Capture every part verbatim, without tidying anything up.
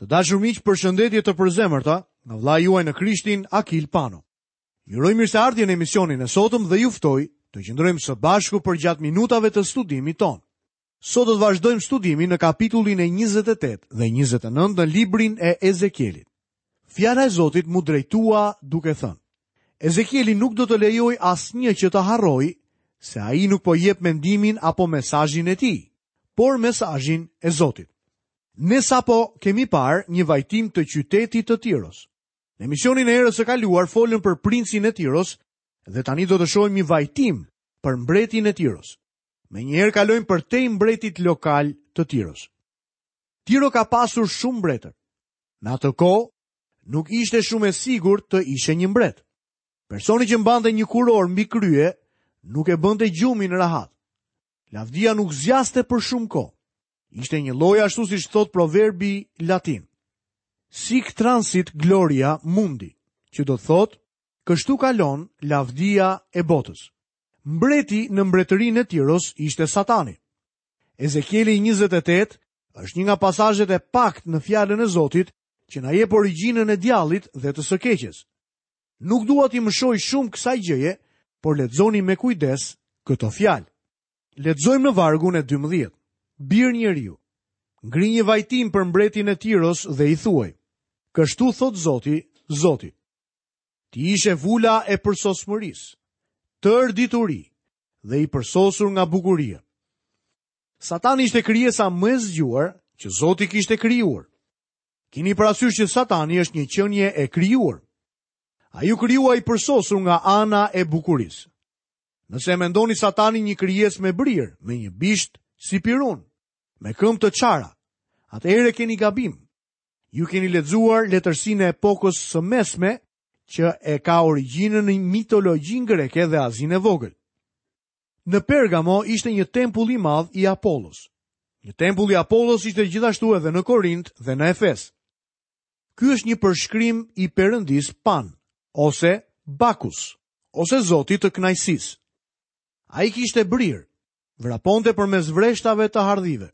Të dashur miq, përshëndetje të përzemërta nga vëllai juaj në Krishtin, Akil Pano. Ju uroj mirëseardhje në emisionin e sotëm dhe ju ftoj të qëndrojmë së bashku përgjatë minutave të studimit tonë. Sot do të vazhdojmë studimin në kapitullin e njëzet e tetë dhe njëzet e nëntë në librin e Ezekielit. Fjala e Zotit mu drejtua duke thënë: Ezekieli nuk do të lejojë asnjë që të harrojë se ai nuk po jep mendimin apo mesazhin e tij, por mesazhin e Zotit. Ne sapo kemi parë një vajtim të qytetit të Tiros. Në emisionin e herës së kaluar folëm për princin e Tiros dhe tani do të shohim një vajtim për mbretin e Tiros. Menjëherë kalojmë për te mbretit lokal të Tiros. Tiro ka pasur shumë mbretër. Në atë kohë nuk ishte shumë e sigurt të ishe një mbret. Personi që mbante një kuror mbi krye nuk e bënte gjumin rahat. Lavdia nuk zgjaste për shumë kohë. Ishte një lloj ashtu siç thot proverbi latin. Sic transit gloria mundi, që do të thotë, kështu kalon lavdia e botës. Mbreti në mbretërinë e Tiros ishte Satani. Ezekieli njëzet e tetë është një nga pasazhet e paktë në fjalën e Zotit që na jep origjinën e djallit dhe të së keqes. Nuk dua t'i mëshoj shumë kësaj gjëje, por lexoni me kujdes këto fjalë. Lexojmë në vargun e dymbëdhjetë. Bir njeriu, ngri një vajtim për mbretin e Tiros dhe i thuaj: Kështu thot Zoti, Zoti. Ti ishe vula e përsosmërisë, tërë dituri dhe i përsosur nga bukuria. Satani ishte krijesa më e zgjuar që Zoti kishte krijuar. Kini parasysh që Satani është një qenie e krijuar. Ai u krijua i përsosur nga ana e bukurisë. Nëse e mendoni Satanin një krijesë me brirë, me një bisht si pirun, me këmbë të çara, atëherë keni gabim. Ju keni lexuar letërsinë e epokës së mesme që e ka origjinën në mitologjinë greke dhe Azinë e Vogël. Në Pergamo ishte një tempull i madh i Apollos. Një tempull i Apollos ishte gjithashtu edhe në Korint dhe në Efes. Ky është një përshkrim i perëndis Pan ose Bakus, ose Zotit të kënaqësisë. Ai kishte brirë, vraponte përmes vreshtave të hardhive.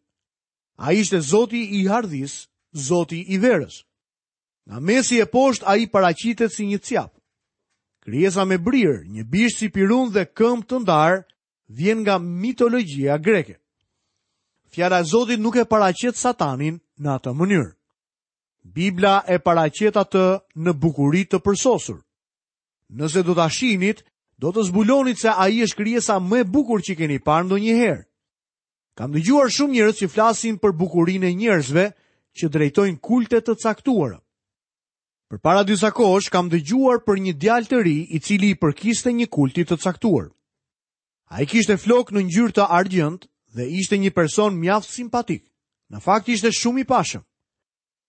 Ai ishte Zoti i hardhisë, Zoti i verës. Nga mesi e poshtë ai paraqitet si një cjap. Krijesa me brirë, një bisht si pirun dhe këmbë të ndarë, vjen nga mitologjia greke. Fjala e Zotit nuk e paraqet Satanin në atë mënyrë. Bibla e paraqet atë në bukuri të përsosur. Nëse do ta shihnit, do të zbulonit se ai është krijesa më e bukur që keni parë ndonjëherë. Kam dëgjuar shumë njerëz që flasin për bukurinë e njerëzve që drejtojnë kulte të caktuara. Përpara disa kohësh kam dëgjuar për një djalë të ri i cili i përkiste një kulti të caktuar. Ai kishte flok në ngjyrë të argjend dhe ishte një person mjaft simpatik. Në fakt ishte shumë i pashëm.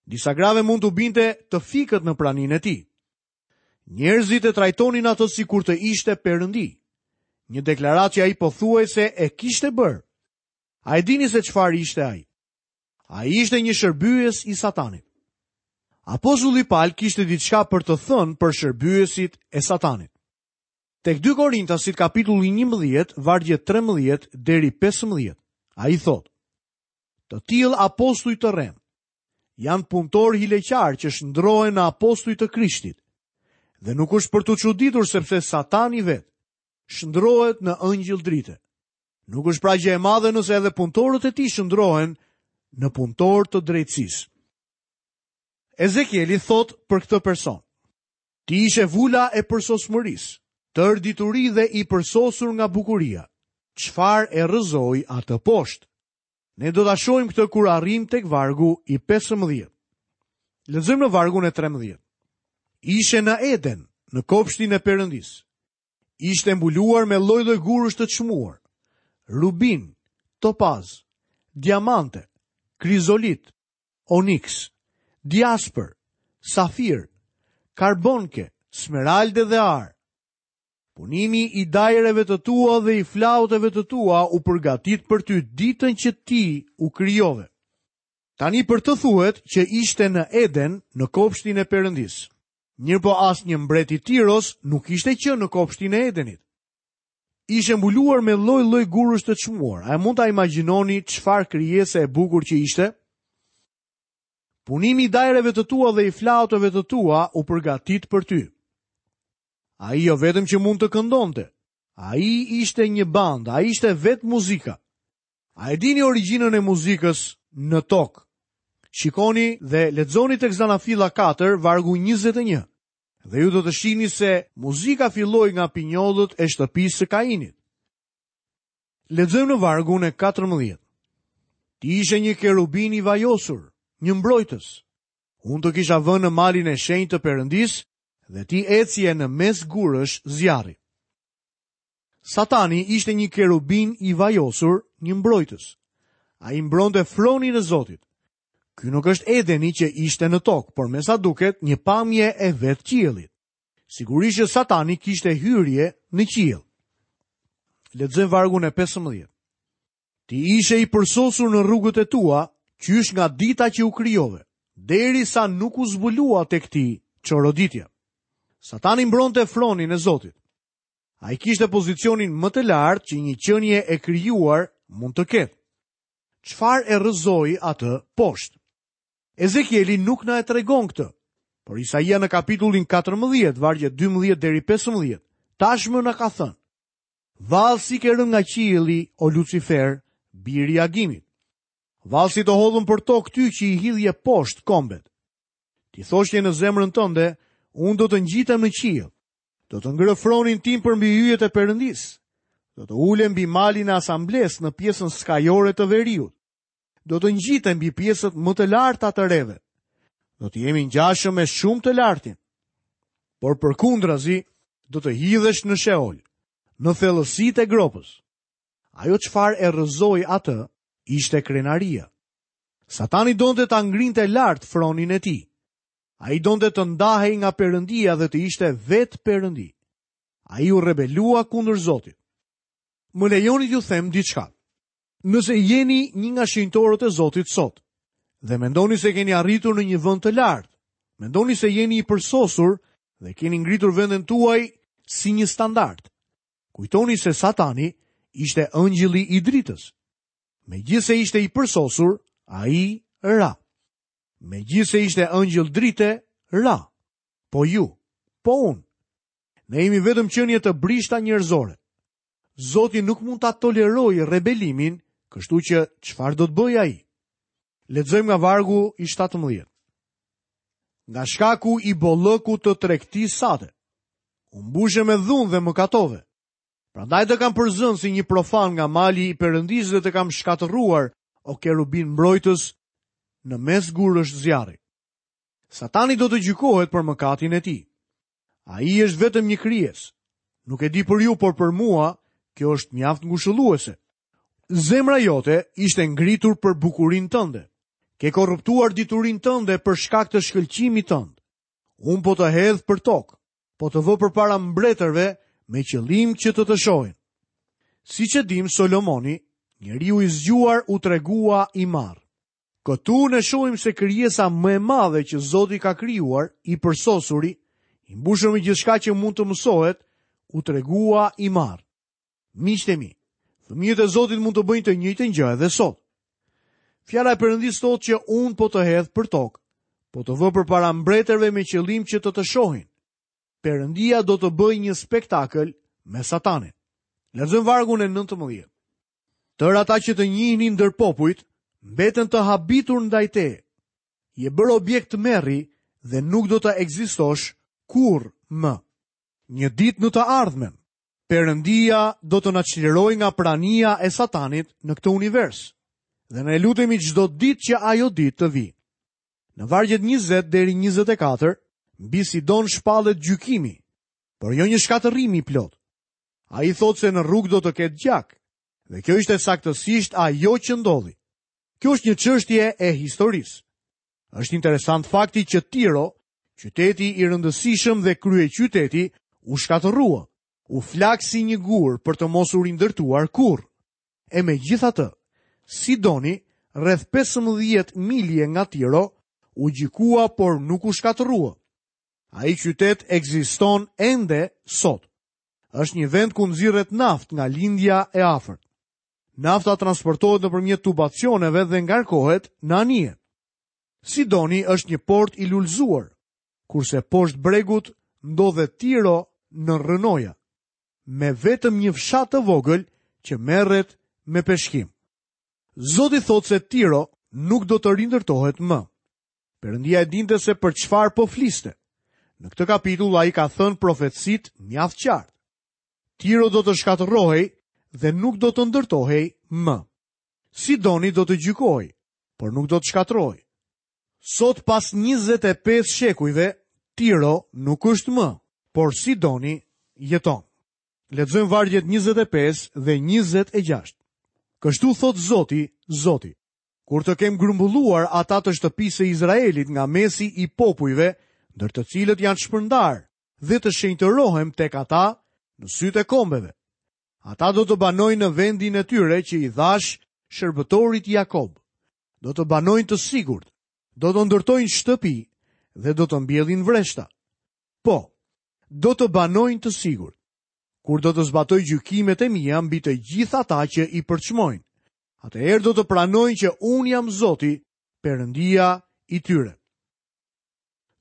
Disa grave mund t'u binte të fikët në praninë e tij. Njerëzit e trajtonin atë sikur të ishte perëndi. Një deklaratë që ai pothuajse e kishte bërë. A e dini se çfarë ishte ai? Ai ishte një shërbyes i Satanit. Apostulli Paul kishte diçka për të thënë për shërbyesit e Satanit. Tek dy Korintasit kapitulli njëmbëdhjetë, vargje trembëdhjetë deri pesëmbëdhjetë, ai thotë: Të tillë apostuj të rremë janë punëtorë hileqar që shndrohen në apostuj të Krishtit. Dhe nuk është për t'u çuditur sepse Satani vetë shndrohet në ëngjëll drite. Nuk është pra gjë e madhe nëse edhe punëtorët e tij shndrohen në punëtorë të drejtësisë. Ezekieli thot për këtë person: Ti ishe vula e përsosmërisë, tërë dituri dhe i përsosur nga bukuria. Çfarë e rrëzoi atë poshtë? Ne do ta shohim këtë kur arrim tek vargu i pesëmbëdhjetë. Lexojmë në vargun e trembëdhjetë. Ishe në Eden, në kopshtin e Perëndisë. Ishte mbuluar me lloj-lloj gurësh të çmuar, rubin, topaz, diamante, krizolit, oniks, diasper, safir, karbonke, smeralde dhe ar. Punimi i dajreve të tua dhe i flauteve të tua u përgatit për ty ditën që ti u krijove. Tani për të thuhet që ishte në Eden, në kopshtin e Perëndisë. Mirë po asnjë mbret i Tiros nuk ishte qenë në kopshtin e Edenit. Ishte mbuluar me lloj-lloj gurësh të çmuar. A mund ta imagjinoni çfarë krijese e bukur që ishte? Punimi i dajreve të tua dhe i flauteve të tua u përgatit për ty. Ai jo vetëm që mund të këndonte, ai ishte një bandë, ai ishte vetë muzika. A e dini origjinën e muzikës në tokë? Shikoni dhe lexoni tek Zanafilla katër, vargu njëzet e një. Dhe ju do të shihni se muzika filloi nga pinjollët e shtëpisë së Kainit. Lexojmë në vargun e katërmbëdhjetë. Ti ishe një kerubin i vajosur, një mbrojtës. Unë të kisha vënë në malin e shenjtë të Perëndisë dhe ti ecje në mes gurësh zjarri. Satani ishte një kerubin i vajosur, një mbrojtës. Ai mbronte fronin e Zotit. Ky nuk është Edeni që ishte në tokë, por me sa duket një pamje e vetë qiellit. Sigurisht që Satani kishte hyrje në qiell. Lexojmë vargun e pesëmbëdhjetë. Ti ishe i përsosur në rrugët e tua, qysh nga dita që u krijove, derisa nuk u zbulua tek ti çoroditja. Satani mbronte fronin e Zotit. Ai kishte pozicionin më të lartë që një qenie e krijuar mund të ketë. Çfarë e rrëzoi atë poshtë? Ezekieli nuk na e tregon këtë, por Isaia në kapitullin katërmbëdhjetë, vargje dymbëdhjetë deri pesëmbëdhjetë, tashmë na ka thënë: Vallë si ke rënë nga qielli, o Lucifer, biri i Agimit. Vallë si të hodhën për tokë ty që i hidhje poshtë kombet. Ti thoshje në zemrën tënde, unë do të ngjitem në qiell, do të ngrë fronin tim përmbi yjet e Perëndisë, do të ulem mbi malin e asamblesë në pjesën skajore të veriut, do të ngjitem mbi pjesët më të larta të reve, do të jemi ngjashëm me shumë të lartin. Por përkundrazi, do të hidhesh në Sheol, në thellësitë e gropës. Ajo çfarë e rrëzoi atë ishte krenaria. Satani donte ta ngrinte lart fronin e tij. Ai donte të ndahej nga Perëndia dhe të ishte vetë Perëndi. Ai u rebelua kundër Zotit. Më lejoni t'ju them diçka. Nëse jeni një nga shenjtorët e Zotit sot dhe mendoni se keni arritur në një vend të lartë, mendoni se jeni i përsosur dhe keni ngritur vendin tuaj si një standard, kujtoni se Satani ishte ëngjëlli i dritës. Megjithse ishte i përsosur, ai ra. Megjithse ishte ëngjëll drite, ra. Po ju, po unë. Ne jemi vetëm qenie të brishta njerëzore. Zoti nuk mund ta tolerojë rebelimin, kështu që çfarë do të bëjë ai? Lexojmë nga vargu i shtatëmbëdhjetë. Nga shkaku i bollëkut të tregtisë sate, u mbushe me dhunë dhe mëkatove. Prandaj të kam përzënë si një profan nga mali i Perëndisë dhe të kam shkatërruar, o kerubin mbrojtës, në mes gurësh zjarri. Satani do të gjykohet për mëkatin e tij. Ai është vetëm një krijesë. Nuk e di për ju, por për mua, kjo është mjaft ngushëlluese. Zemra jote ishte ngritur për bukurinë tënde. Ke korruptuar diturinë tënde për shkak të shkëlqimit tënd. Unë po të hedh për tokë, po të vë përpara mbretërve me qëllim që të të shohin. Siç e dim, Solomoni, njeriu i zgjuar, u tregua i marr. Këtu ne shohim se krijesa më e madhe që Zoti ka krijuar, i përsosuri, i mbushur me gjithçka që mund të mësohet, u tregua i marr. Miqtë e mi, fëmijët e Zotit mund të bëjnë të njëjtën gjë edhe sot. Fjala e Perëndisë thotë që unë po të hedh për tokë, po të vë përpara mbretërve me qëllim që të të shohin. Perëndia do të bëjë një spektakël me Satanin. Lexojmë vargun e nëntëmbëdhjetë. Tër ata që të njihnin ndër popujt, mbeten të habitur ndaj teje. Je bërë objekt merri dhe nuk do të ekzistosh kurrë më. Një ditë në të ardhmen, Perëndia do të na çlirojë nga prania e Satanit në këtë univers. Dhe ne lutemi çdo ditë që ajo ditë të vijë. Në vargjet njëzet deri njëzet e katër, mbi Sidon shpallet gjykimi, por jo një shkatërrim i plot. Ai thotë se në rrugë do të ketë gjak, dhe kjo ishte saktësisht ajo që ndodhi. Kjo është një çështje e historisë. Është interesant fakti që Tiro, qyteti i rëndësishëm dhe kryeqyteti, u shkatërrua, u flak si një gur për të mos u rindërtuar kurrë. E megjithatë, Sidoni, rreth pesëmbëdhjetë milje nga Tiro, u gjykua por nuk u shkatërrua. Ai qytet ekziston ende sot. Është një vend ku nxirret naftë nga lindja e afërt. Nafta transportohet nëpërmjet tubacioneve dhe ngarkohet në anije. Sidoni është një port i lulëzuar, kurse poshtë bregut ndodhet Tiro në rrënoja, me vetëm një fshat të vogël që merret me peshkim. Zoti thotë se Tiro nuk do të rindërtohet më. Perëndia e dinte se për çfarë po fliste. Në këtë kapitull ai ka thënë profecitë mjaft qartë. Tiro do të shkatërrohej dhe nuk do të ndërtohej më. Sidoni do të gjykohej, por nuk do të shkatërrohej. Sot pas njëzet e pesë shekujve, Tiro nuk është më, por Sidoni jeton. Lexojmë vargjet njëzet e pesë dhe njëzet e gjashtë. Kështu thot Zoti, Zoti, kur të kem grumbulluar ata të shtëpisë së Izraelit nga mesi i popujve, ndër të cilët janë shpërndar, dhe të shenjtërohem tek ata në sytë e kombeve. Ata do të banojnë në vendin e tyre që i dhash shërbëtorit Jakob. Do të banojnë të sigurt, do të ndërtojnë shtëpi dhe do të mbjellin vreshta. Po, do të banojnë të sigurt, kur do të zbatoj gjykimet e mia mbi të gjithë ata që i përçmojnë. Atëherë do të pranojnë që unë jam Zoti, Perëndia i tyre.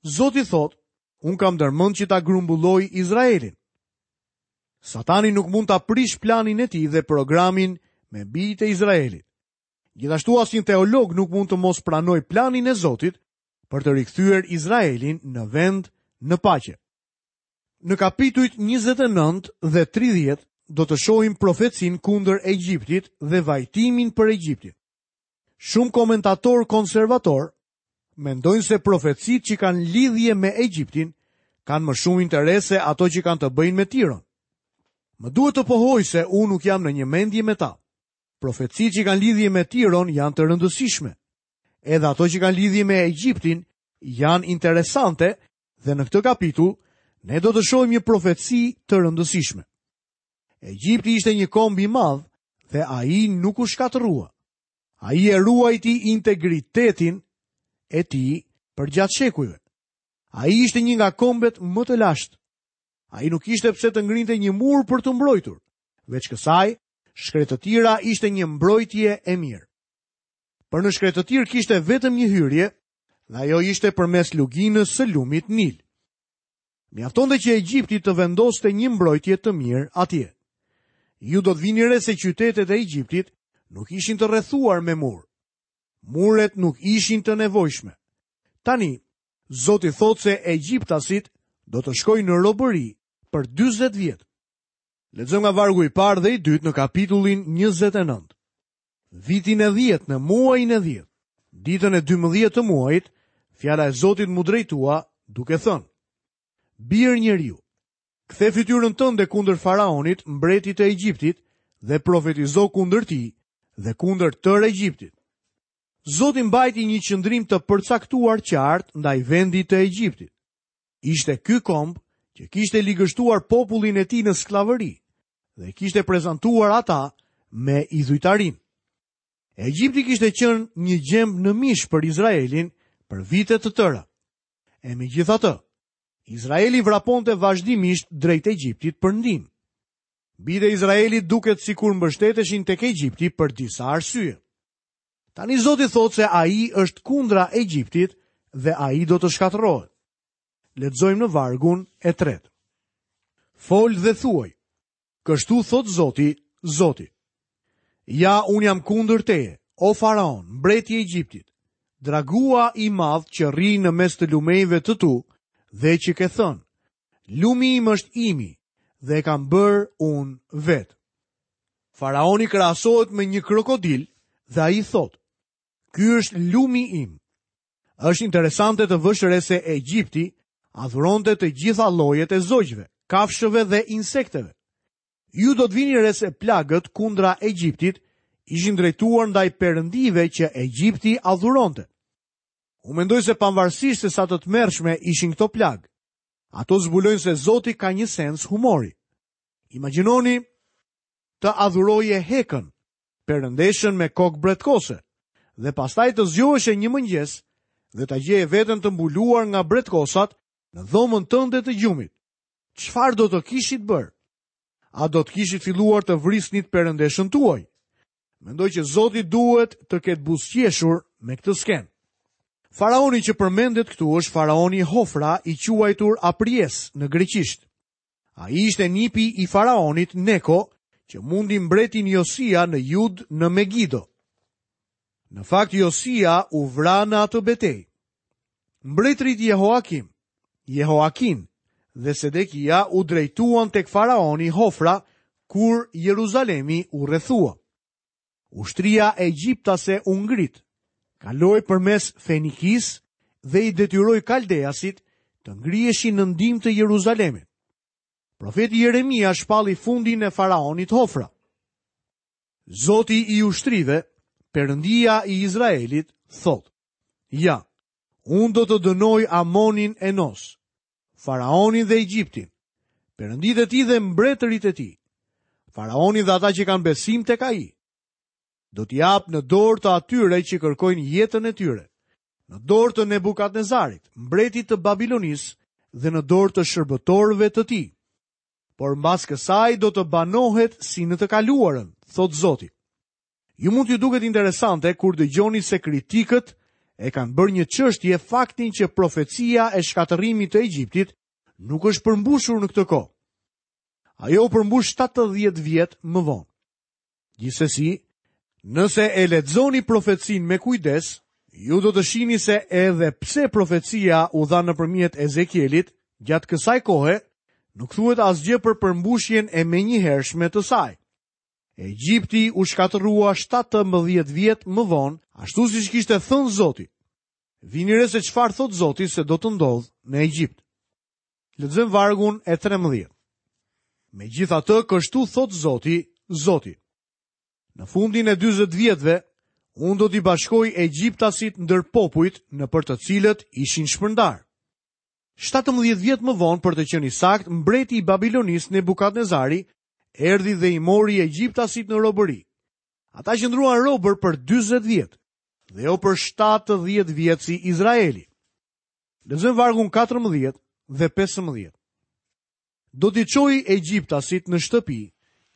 Zoti thot, unë kam ndërmend që ta grumbulloj Izraelin. Satani nuk mund ta prish planin e tij dhe programin me bijtë e Izraelit. Gjithashtu asnjë teolog nuk mund të mos pranojë planin e Zotit për të rikthyer Izraelin në vend në paqe. Në kapitujt njëzet e nëntë dhe tridhjetë do të shohim profecinë kundër Egjiptit dhe vajtimin për Egjiptin. Shumë komentatorë konservatorë mendojnë se profecitë që kanë lidhje me Egjiptin kanë më shumë interes se ato që kanë të bëjnë me Tiron. Më duhet të pohoj se unë nuk jam në një mendje me ta. Profecitë që kanë lidhje me Tiron janë të rëndësishme. Edhe ato që kanë lidhje me Egjiptin janë interesante dhe në këtë kapitull ne do të shohim një profeci të rëndësishme. Egjipti ishte një komb i madh dhe ai nuk u shkatërrua. Ai e ruajti integritetin e tij përgjatë shekujve. Ai ishte një nga kombet më të lashtë. Ai nuk ishte pse të ngrinte një mur për të mbrojtur. Veç kësaj, shkretëtira ishte një mbrojtje e mirë. Për në shkretëtirë kishte vetëm një hyrje, dhe ajo ishte përmes luginës së lumit Nil. Mjaftonte që Egjipti të vendoste një mbrojtje të mirë atje. Ju do të vini re se qytetet e Egjiptit nuk ishin të rrethuar me mur. Muret nuk ishin të nevojshme. Tani, Zoti thotë se egjiptasit do të shkojnë në robëri për dyzet vjet. Lexojmë nga vargu i parë dhe i dytë në kapitullin njëzet e nëntë. Vitin e dhjetë, në muajin e dhjetë, ditën e dymbëdhjetë të muajit, fjala e Zotit mu drejtua duke thënë: Bir njeriu, kthe fytyrën tënde kundër faraonit, mbretit të Egjiptit, dhe profetizo kundër tij dhe kundër tërë Egjiptit. Zoti mbajti një qëndrim të përcaktuar qartë ndaj vendit të Egjiptit. Ishte ky komb që kishte ligështuar popullin e tij në sklavëri dhe kishte prezantuar ata me idhujtarin. Egjipti kishte qenë një gjemb në mish për Izraelin për vite të tëra. E megjithatë, Izraeli vraponte vazhdimisht drejt Egjiptit për ndihmë. Bijtë e Izraelit duket sikur mbështeteshin tek Egjipti për disa arsye. Tani Zoti thotë se ai është kundra Egjiptit dhe ai do të shkatërrohet. Lexojmë në vargun e tretë. Fol dhe thuaj: Kështu thot Zoti, Zoti. Ja, unë jam kundër teje, o faraon, mbreti i Egjiptit, dragua i madh që rri në mes të lumejve të tu dhe që ke thënë: Lumi im është imi dhe e kam bërë unë vetë. Faraoni krahasohet me një krokodil dhe ai thotë: Ky është lumi im. Është interesante të vësh re se Egjipti adhuronte të gjitha llojet e zogjve, kafshëve dhe insekteve. Ju do të vini re se plagët kundra Egjiptit ishin drejtuar ndaj perëndive që Egjipti adhuronte. Unë mendoj se pavarësisht se sa të tmerrshme ishin këto plagë, ato zbulojnë se Zoti ka një sens humori. Imagjinoni të adhuroje Hekën, perëndeshën me kokë bretkose, dhe pastaj të zgjoheshe një mëngjes dhe ta gjeje veten të mbuluar nga bretkosat në dhomën tënde të gjumit. Çfarë do të kishit bërë? A do të kishit filluar të vrisnit perëndeshën tuaj? Mendoj që Zoti duhet të ketë buzëqeshur me këtë skenë. Faraoni që përmendet këtu është faraoni Hofra, i quajtur Apries në greqisht. Ai ishte nipi i faraonit Neko, që mundi mbretin Josia në Jud në Megido. Në fakt, Josia u vra në atë betejë. Mbretërit Jehoakim, Jehoakin dhe Sedekia u drejtuan tek faraoni Hofra kur Jeruzalemi u rrethua. Ushtria egjiptase u ngrit, kaloi përmes Fenikisë dhe i detyroi kaldeasit të ngriheshin në ndihmë të Jeruzalemit. Profeti Jeremia shpalli fundin e faraonit Hofra. Zoti i ushtrive, Perëndia i Izraelit, thotë: Ja, unë do të dënoj Amonin e Nos, faraonin dhe Egjiptin, perënditë e tij dhe mbretërit e tij, faraonin dhe ata që kanë besim tek ai. Do t'i jap në dorë të atyre që kërkojnë jetën e tyre, në dorë të Nebukadnezarit, mbretit të Babilonisë, dhe në dorë të shërbëtorëve të tij. Por mbas kësaj do të banohet si në të kaluarën, thotë Zoti. Ju mund t'ju duket interesante kur dëgjoni se kritikët e kanë bërë një çështje faktin që profecia e shkatërrimit të Egjiptit nuk është përmbushur në këtë kohë. Ajo u përmbush shtatëdhjetë vjet më vonë. Gjithsesi, nëse e lexoni profecinë me kujdes, ju do të shihni se edhe pse profecia u dha nëpërmjet Ezekielit, gjatë kësaj kohe nuk thuhet asgjë për përmbushjen e menjëhershme të saj. Egjipti u shkatërrua shtatëmbëdhjetë vjet më vonë, ashtu siç kishte thënë Zoti. Vini re se çfarë thot Zoti se do të ndodhë në Egjipt. Lexojmë vargun e trembëdhjetë. Megjithatë, kështu thot Zoti, Zoti. Në fundin e dyzet vjetëve, unë do t'i bashkoj egjiptasit ndër popujt në për të cilët ishin shpërndar. Shtatëmbëdhjetë vjet më vonë, për të qenë i saktë, mbreti i Babilonisë Nebukadnezari erdhi dhe i mori egjiptasit në robëri. Ata qëndruan robër për dyzet vjet, dhe jo për shtatëdhjetë vjet si Izraeli. Lexojmë vargun katërmbëdhjetë dhe pesëmbëdhjetë. Do t'i çoj egjiptasit në shtëpi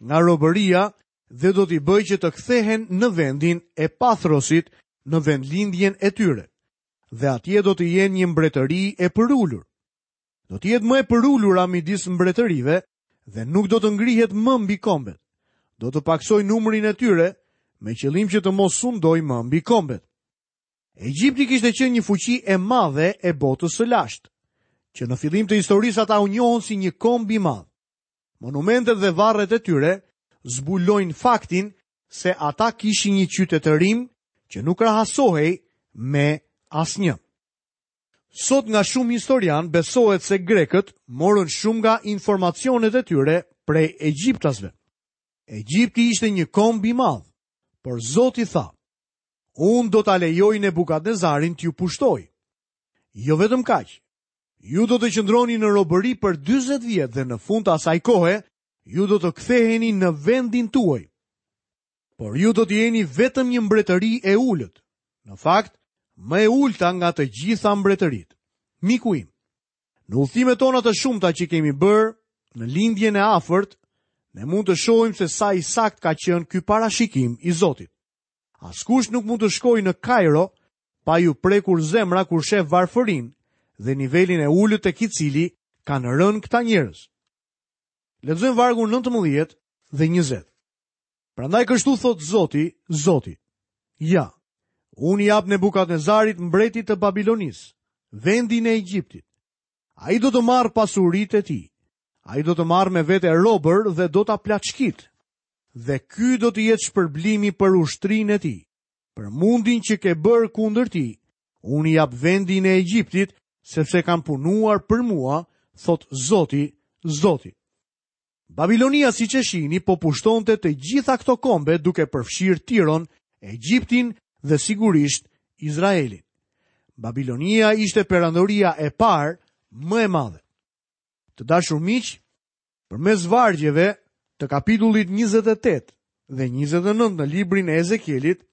nga robëria dhe do t'i bëj që të kthehen në vendin e Pathrosit, në vendlindjen e tyre, dhe atje do të jenë një mbretëri e përulur. Do të jetë më e përulura midis mbretërive dhe nuk do të ngrihet më mbi kombet. Do të paksoj numrin e tyre me qëllim që të mos sundoj më mbi kombet. Egjipti kishte qenë një fuqi e madhe e botës së lashtë, që në fillim të historisë ata u njohën si një komb i madh. Monumentet dhe varret e tyre zbulojnë faktin se ata kishin një qytetërim që nuk krahasohej me asnjë. Sot nga shumë historian besohet se grekët morën shumë nga informacionet e tyre prej egjiptasve. Egjipti ishte një komb i madh, por Zoti tha: Unë do ta lejoj Nebukadnezarin t'ju pushtoj. Jo vetëm kaq, ju do të qëndroni në robëri për dyzet vjet dhe në fund të asaj kohe ju do të ktheheni në vendin tuaj. Por ju do të jeni vetëm një mbretëri e ulët. Në fakt, më e ulta nga të gjitha mbretëritë. Miku im, në udhëtimet tona të shumta që kemi bërë në lindjen e afërt, ne mund të shohim se sa i sakt ka qenë ky parashikim i Zotit. Askush nuk mund të shkojë në Kairo pa ju prekur zemra kur sheh varfërinë dhe nivelin e ulët tek i cili kanë rënë këta njerëz. Lexojmë vargun nëntëmbëdhjetë dhe njëzet. Prandaj kështu thot Zoti, Zoti: Ja, unë i jap Nebukadnezarit mbretit të Babilonisë, vendin e Egjiptit. Ai do të marrë pasuritë e tij. Ai do të marrë me vete robër dhe do ta plaçkit. Dhe ky do të jetë shpërblimi për ushtrinë e tij, për mundin që ke bërë kundër tij. Unë i jap vendin e Egjiptit, sepse kanë punuar për mua, thot Zoti, Zoti. Babilonia, siç e shihni, po pushtonte të gjitha këto kombe duke përfshirë Tiron, Egjiptin dhe sigurisht Izraelin. Babilonia ishte perandoria e parë më e madhe. Të dashur miq, përmes vargjeve të kapitullit njëzet e tetë dhe njëzet e nëntë në librin e Ezekielit,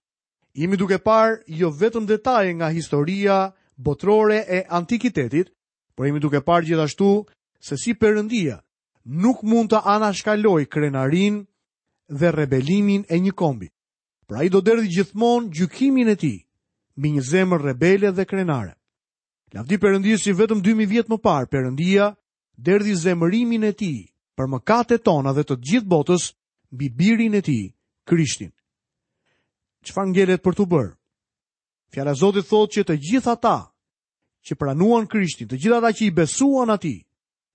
jemi duke parë jo vetëm detaje nga historia botërore e antikitetit, por jemi duke parë gjithashtu se si Perëndia nuk mund të anashkalojë krenarinë dhe rebelimin e një kombi. Pra ai do derdhi gjithmonë gjykimin e tij mbi një zemër rebele dhe krenare. Lavdi Perëndisë që vetëm dy mijë vjet më parë Perëndia derdhi zemërimin e tij për mëkatet tona dhe të gjithë botës mbi birin e tij, Krishtin. Çfarë ngelet për t'u bërë? Fjala e Zotit thotë që të gjithë ata që pranuan Krishtin, të gjithë ata që i besuan atij,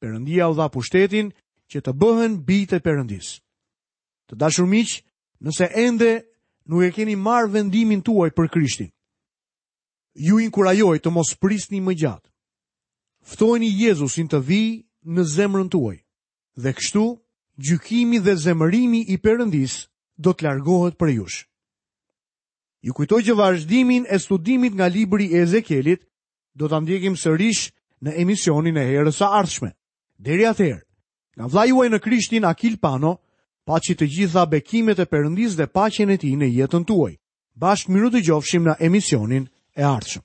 Perëndia u dha pushtetin që të bëhen bijtë e Perëndisë. Të dashur miq, nëse ende nuk e keni marrë vendimin tuaj për Krishtin, ju inkurajoj të mos prisni më gjatë. Ftojeni Jezusin të vijë në zemrën tuaj dhe kështu gjykimi dhe zemërimi i Perëndisë do të largohet prej jush. Ju kujtoj që vazhdimin e studimit nga libri i Ezekielit do ta ndjekim sërish në emisionin e herës së ardhshme. Deri atëherë, nga vëllai juaj në Krishtin Akil Pano, paçi të gjitha bekimet e Perëndisë dhe paqen e tij në jetën tuaj. Bashkë mirudëgjofshim në emisionin e ardhshëm.